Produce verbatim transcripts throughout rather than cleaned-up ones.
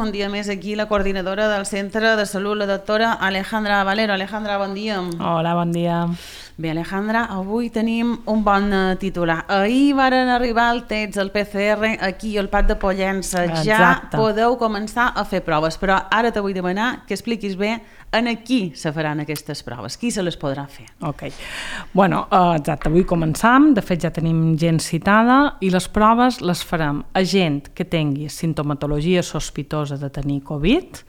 un dia més aquí la coordinadora del Centre de Salut, la doctora Alejandra Valero. Alejandra, bon dia. Hola, bon dia. Bé, Alejandra, avui tenim un bon titular. Ahir varen arribar el test, el P C R, aquí al Prat de Pollença. Ja Exacte. podeu començar a fer proves, però ara te vull demanar que expliquis bé en a qui se faran aquestes proves, qui se les podrà fer. Ok. Bueno, uh, exacte, avui començam, de fet ja tenim gent citada i les proves les farem a gent que tingui sintomatologia sospitosa de tenir Covid,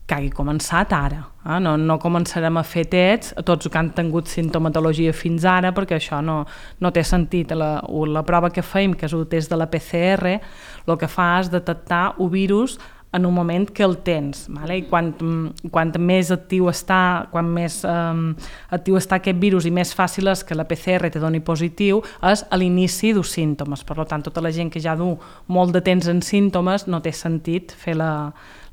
que hagi començat ara. Eh? No, no començarem a fer tests a tots que han tingut sintomatologia fins ara, perquè això no, no té sentit. La, la prova que fem, que és el test de la P C R, el que fa és detectar un virus en un moment que el tens, vale? I quan, quan més actiu està, quan més um, actiu està aquest virus i més fàcil és que la P C R te doni positiu, és a l'inici dels símptomes. Per tant, tota la gent que ja du molt de temps en símptomes no té sentit fer la,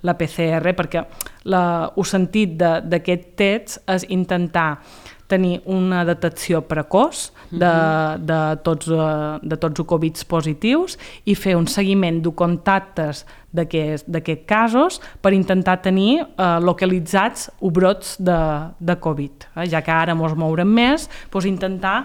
la P C R, perquè la, el sentit d'aquest test és intentar tenir una detecció precoç de, de, tots, de tots els Covid positius i fer un seguiment de contactes d'aquests casos per intentar tenir eh, localitzats els brots de, de Covid. Eh? Ja que ara ens mourem més, doncs intentar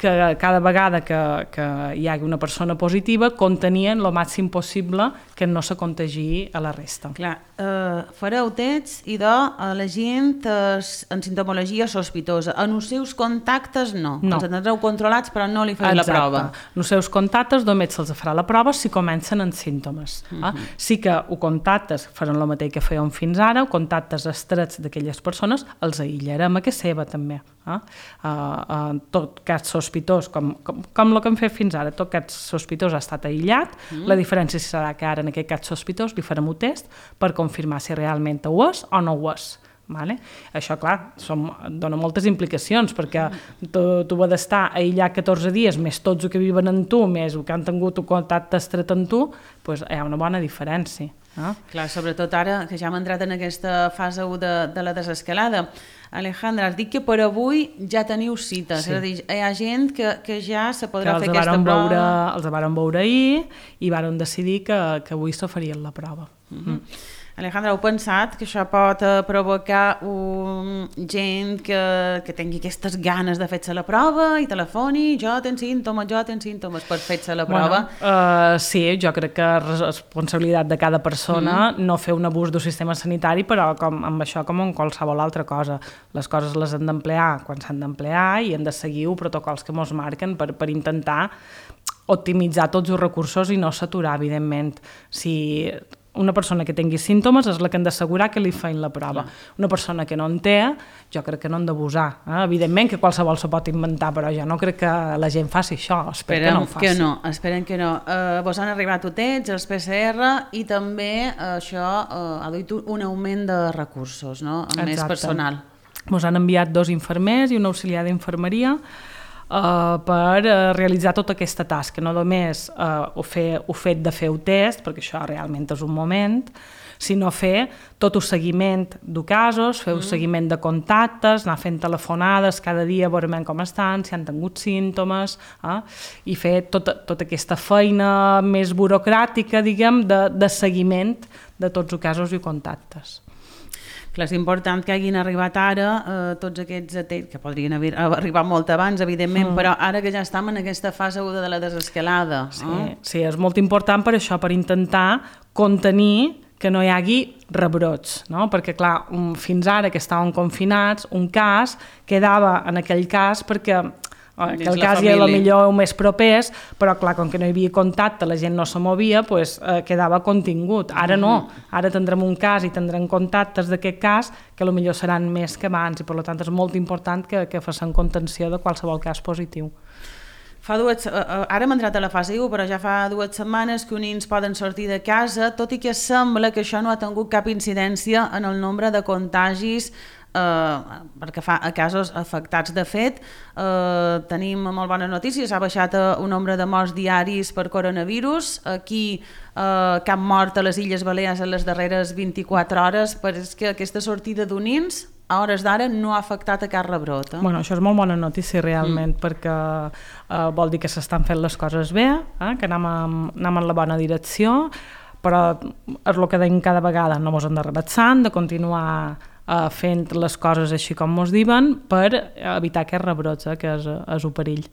que cada vegada que, que hi hagi una persona positiva contenien el màxim possible que no se contagi a la resta. Clar, eh, fareu tests i de a la gent eh, en sintomologia sospitosa. En els seus contactes no. no. Els tindreu controlats però no li fareu la prova. En els seus contactes només se'ls farà la prova si comencen amb símptomes. Uh -huh. eh? Sí que els contactes faran el mateix que fèiem fins ara, els contactes estrets d'aquelles persones els aïllarem a que seva també. Eh? Uh, en tot cas sospitós, com, com, com el que hem fet fins ara, tot cas sospitós ha estat aïllat, mm. la diferència serà que ara en aquest cas sospitós li farem un test per confirmar si realment ho és o no ho és. Vale? Això, clar, som, dona moltes implicacions, perquè tu, tu has d'estar aïllat catorze dies, més tots els que viven amb tu, més els que han tingut un contacte estret amb tu, doncs hi ha una bona diferència. No? Clar, sobretot ara que ja hem entrat en aquesta fase u de, de la desescalada. Alejandra, has dit que per avui ja teniu cites, sí. És a dir, hi ha gent que, que ja se podrà que fer aquesta prova. Veure, els varen veure ahir i varen decidir que, que avui se farien la prova. Uh-huh. Mm. Alejandra, heu pensat que això pot uh, provocar un gent que, que tingui aquestes ganes de fer-se la prova i telefoni, jo tenc símptomes, jo tenc símptomes, per fer-se la prova? Bueno, uh, sí, jo crec que és responsabilitat de cada persona mm. no fer un abús del sistema sanitari, però com, amb això com en qualsevol altra cosa. Les coses les han d'emplear quan s'han d'emplear i han de seguir els protocols que ens marquen per, per intentar optimitzar tots els recursos i no saturar, evidentment. Si una persona que tingui símptomes és la que han d'assegurar que li feien la prova. Clar. Una persona que no en té, jo crec que no han d'abusar. Eh? Evidentment que qualsevol se pot inventar, però jo no crec que la gent faci això. Espero que no ho faci. Que no, esperen que no. Uh, vos han arribat utets, els P C R, i també uh, això uh, ha duit un augment de recursos, no? Amb més personal. Ens han enviat dos infermers i un auxiliar d'infermeria Uh, per uh, realitzar tota aquesta tasca, no només uh, ho, fer, ho fet de fer el test, perquè això realment és un moment, sinó fer tot el seguiment de casos, fer el mm. seguiment de contactes, anar fent telefonades cada dia, veurem com estan, si han tingut símptomes, eh? I fer tota, tota aquesta feina més burocràtica, diguem, de, de seguiment de tots els casos i contactes. Clar, és important que hagin arribat ara eh, tots aquests atents, que podrien haver arribat molt abans, evidentment, mm. però ara que ja estem en aquesta fase de la desescalada. Sí, eh? Sí, és molt important per això, per intentar contenir que no hi hagi rebrots, no? Perquè, clar, un, fins ara que estàvem confinats, un cas quedava en aquell cas perquè que el cas ja era millor o més propers, però clar, com que no hi havia contacte, la gent no se movia, doncs eh, quedava contingut. Ara no, ara tindrem un cas i tindrem contactes d'aquest cas que potser seran més que abans i per tant és molt important que, que facin contenció de qualsevol cas positiu. Fa dues, ara hem entrat a la fase u, però ja fa dues setmanes que uns nens poden sortir de casa, tot i que sembla que això no ha tingut cap incidència en el nombre de contagis eh, perquè fa a casos afectats. De fet, eh, tenim molt bones notícies, ha baixat un nombre de morts diaris per coronavirus, aquí eh, cap mort a les Illes Balears en les darreres vint-i-quatre hores, però és que aquesta sortida d'un nens a hores d'ara no ha afectat a cap rebrot. Eh? Bueno, això és molt bona notícia realment, mm. perquè eh, vol dir que s'estan fent les coses bé, eh? que anem, amb, anem en la bona direcció, però és el que deim cada vegada, no mos hem de relaxar, de continuar uh, fent les coses així com mos diuen per evitar aquests rebrots, eh, que és, és un perill.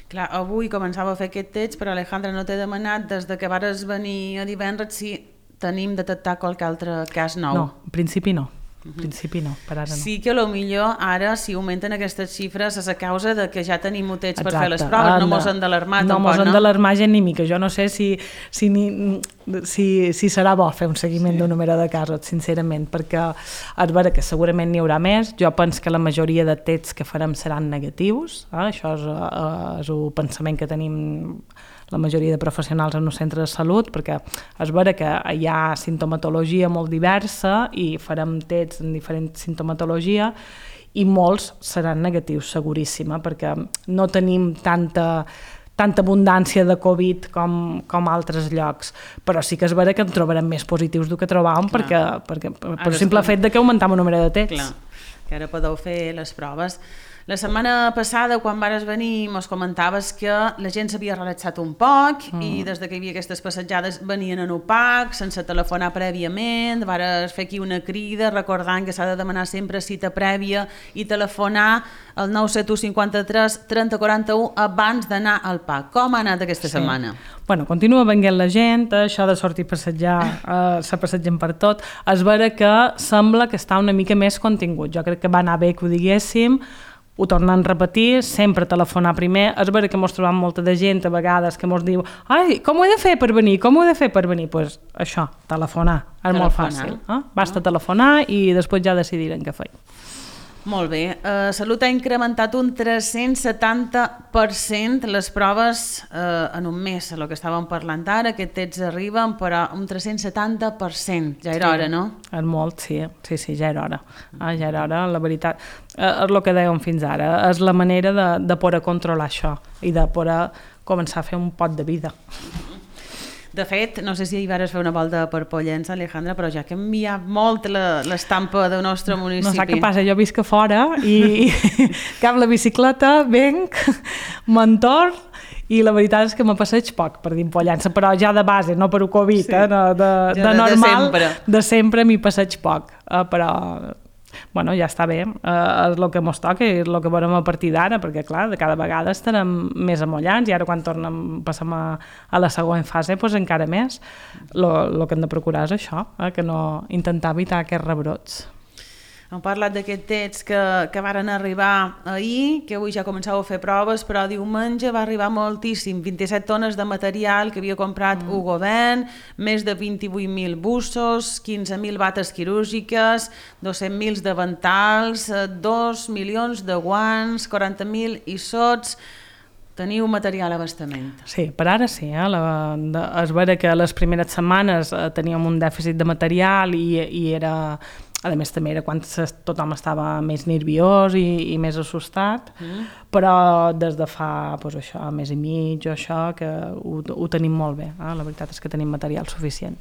Clar, avui començava a fer aquest text, però Alejandra, no t'he demanat des de que vares venir a divendres si tenim detectat qualque altre cas nou. No, en principi no. En principi no, per ara no. Sí que potser ara, si augmenten aquestes xifres, és a causa de que ja tenim motets per fer les Exacte. proves, Ah, no mos han d'alarmar no tampoc, mos han no? d'alarmar gent ni mica. Jo no sé si, si, ni, si, si serà bo fer un seguiment sí. d'un número de casos, sincerament, perquè és vera que segurament n'hi haurà més. Jo penso que la majoria de tests que farem seran negatius, eh? Això és, eh, és un pensament que tenim la majoria de professionals en un centre de salut, perquè és vera que hi ha sintomatologia molt diversa i farem tests en diferents sintomatologia i molts seran negatius, seguríssima, perquè no tenim tanta tanta abundància de Covid com, com altres llocs, però sí que és vera que en trobarem més positius del que trobàvem perquè, perquè, per el simple fet de que augmentem el número de tests. Clar, que ara podeu fer les proves. La setmana passada, quan vares venir, mos comentaves que la gent s'havia relaxat un poc mm. i des que hi havia aquestes passejades venien en opac, sense telefonar prèviament, vares fer aquí una crida recordant que s'ha de demanar sempre cita prèvia i telefonar al nou set u cinquanta-tres trenta quaranta-u abans d'anar al P A C. Com ha anat aquesta sí. setmana? Bueno, continua venint la gent, això de sortir a passejar, eh, se passegen per tot. És vera que sembla que està una mica més contingut. Jo crec que va anar bé que ho diguéssim, ho tornen a repetir, sempre telefonar primer. És vera que mos trobam molta de gent a vegades que mos diu ai, com ho he de fer per venir? Com ho he de fer per venir? Doncs pues això, telefonar. És telefonar. Molt fàcil. Eh? Basta ah. telefonar i després ja decidirem què fer. Molt bé. Uh, Salut ha incrementat un tres-cents setanta per cent les proves uh, en un mes, el que estàvem parlant ara, que tests arriben, però un tres-cents setanta per cent. Ja era sí, hora, no? És molt, sí. Sí, sí, ja era hora. Ah, ja era hora, la veritat. Uh, és el que dèiem fins ara. És la manera de, de poder controlar això i de poder començar a fer un pot de vida. De fet, no sé si hi vares fer una volta per Pollença, Alejandra, però ja ha canviat molt l'estampa del nostre municipi. No saps què passa, jo visc a fora i cap la bicicleta, venc, m'entorn i la veritat és que me passeig poc per dir Pollença, però ja de base, no per un Covid, sí. eh? no, de, de, de normal, de sempre, de sempre m'hi passeig poc, eh? Però bueno, ja està bé, eh, és el que mos toca i és el que veurem a partir d'ara, perquè clar, de cada vegada estarem més amollants i ara quan tornem, passem a, a la següent fase, doncs encara més. El que hem de procurar és això, eh, que no intentar evitar aquests rebrots. Hem parlat d'aquest text que, que varen arribar ahir, que avui ja començàveu a fer proves, però diumenge va arribar moltíssim, vint-i-set tones de material que havia comprat mm. el govern, més de vint-i-vuit mil bussos, quinze mil bates quirúrgiques, dos-cents mil davantals, dos milions de guants, quaranta mil issots. Teniu material a abastament. Sí, per ara sí. Eh? La, de, és vera que les primeres setmanes eh, teníem un dèficit de material i, i era... A més, també era quan tothom estava més nerviós i, i més assustat, mm. però des de fa doncs, això, més i mig o això, que ho, ho tenim molt bé. Eh? La veritat és que tenim material suficient.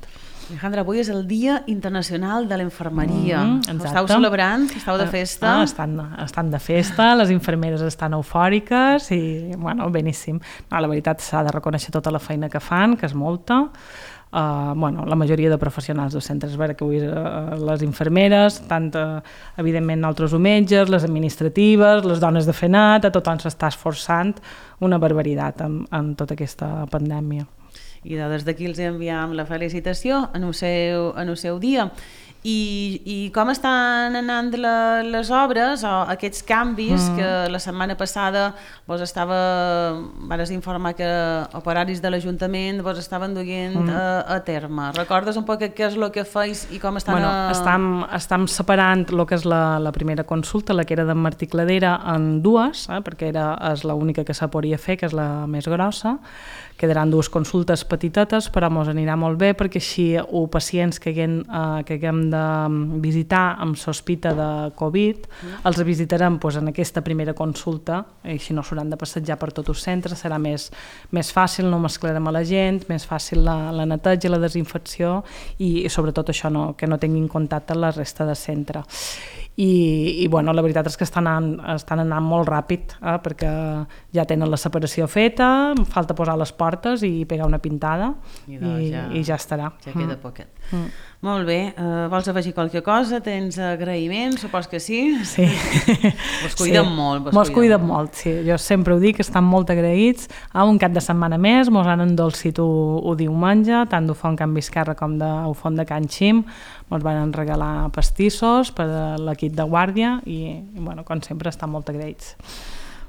Alejandra, avui és el Dia Internacional de l'Infermeria. Mm, estàu celebrant? Estàu de festa? Ah, estan, estan de festa, les infermeres estan eufòriques i, bueno, beníssim. No, la veritat s'ha de reconèixer tota la feina que fan, que és molta. Uh, bueno, la majoria de professionals dels centres, és vera que avui uh, les infermeres, tant uh, evidentment altres metges, les administratives, les dones de fenat, a tothom s'està esforçant una barbaritat en, en tota aquesta pandèmia. I des d'aquí els enviem la felicitació en el seu, en el seu dia. I, i com estan anant la, les obres o aquests canvis mm. que la setmana passada vos estava, vas informar que operaris de l'Ajuntament vos estaven duent mm. a, a terme. Recordes un poc què és el que feis i com estan... Bueno, a... estem, estem separant el que és la, la primera consulta, la que era d'en Martí Cladera, en dues, eh, perquè era, és l'única que se podria fer, que és la més grossa. Quedaran dues consultes petitetes, però ens anirà molt bé perquè així o pacients que haguem, eh, que haguem de visitar amb sospita de Covid, mm. els visitarem doncs, en aquesta primera consulta, i així no s'hauran de passejar per tot el centre, serà més, més fàcil, no mesclarem a la gent, més fàcil la, la neteja, la desinfecció i, i sobretot això, no, que no tinguin contacte amb la resta de centre. i, i bueno, la veritat és que estan anant, estan anant molt ràpid, eh, perquè ja tenen la separació feta, falta posar les portes i pegar una pintada i, i, ja, i ja estarà. Ja queda mm. poquet. Mm. Molt bé, uh, vols afegir qualque cosa? Tens agraïments? Supos que sí? Sí. Vos cuiden sí. molt. Vos, vos cuiden molt, sí. Jo sempre ho dic, estan molt agraïts. A un cap de setmana més, mos han endolcit un diumenge, tant d'Ufont Can Viscarra com d'Ufont de Can Xim. Mos van regalar pastissos per a l'equip de guàrdia i, i bueno, com sempre, estan molt agraïts.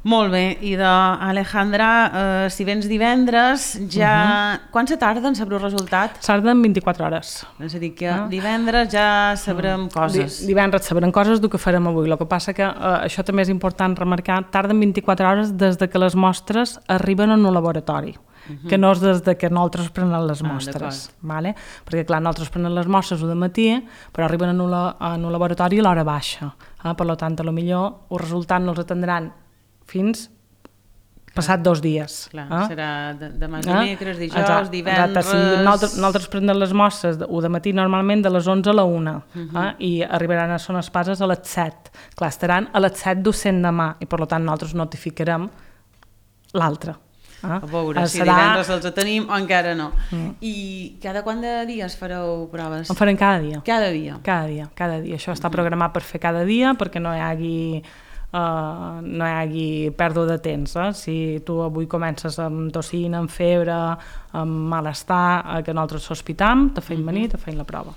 Molt bé, i d'Alejandra, eh, si vens divendres, ja... Uh-huh. Quan se tarda en saber el resultat? Tarden vint-i-quatre hores. És a dir, que uh-huh. divendres ja sabrem uh-huh. coses. Di- divendres sabrem coses del que farem avui. El que passa que eh, això també és important remarcar, tarden vint-i-quatre hores des de que les mostres arriben en un laboratori. Uh-huh. Que no és des de que nosaltres prenem les mostres, ah, vale? Perquè clar, nosaltres prenem les mostres de matí, però arriben en un, en un laboratori a l'hora baixa, eh? Per tant, a lo millor el resultat no els atendran fins passat dos dies. Clar, eh? serà demà dimecres, dijous, exacte, divendres... Exacte, si nosaltres, nosaltres prenem les mostres o de matí normalment de les onze a la una, uh-huh. eh? I arribaran a Son Espases a les set. Clar, estaran a les set docent demà i per tant nosaltres notificarem l'altre. Ah, a veure si serà... divendres els tenim o encara no. Mm. I cada quant de dies fareu proves? En farem cada dia. Cada dia? Cada dia, cada dia. Això està programat per fer cada dia perquè no hi hagi, uh, no hi hagi pèrdua de temps. Eh? Si tu avui comences amb tossina, amb febre, amb malestar, eh, que nosaltres sospitam, te feim venir, te feim la prova.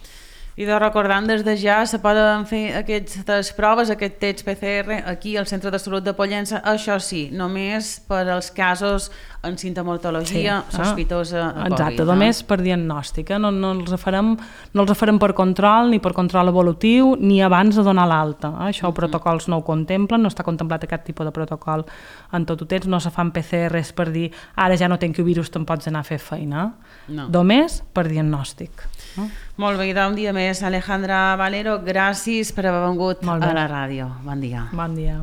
I de recordant des de ja se poden fer aquestes proves, aquest test P C R aquí al Centre de Salut de Pollença, això sí, només per als casos en sintomatologia sí, sospitosa a Covid. Exacte, només per diagnòstica, no, no, els farem, no els farem per control ni per control evolutiu ni abans de donar l'alta. Eh? Això els protocols no ho contemplen, no està contemplat aquest tipus de protocol en tot ho tens, no se fan P C Rs per dir ara ja no tenc virus, te'n pots anar a fer feina. No. Només per diagnòstic. Eh? Molt bé, un dia més. Alejandra Valero, gràcies per haver vengut a la ràdio. Bon dia. Bon dia.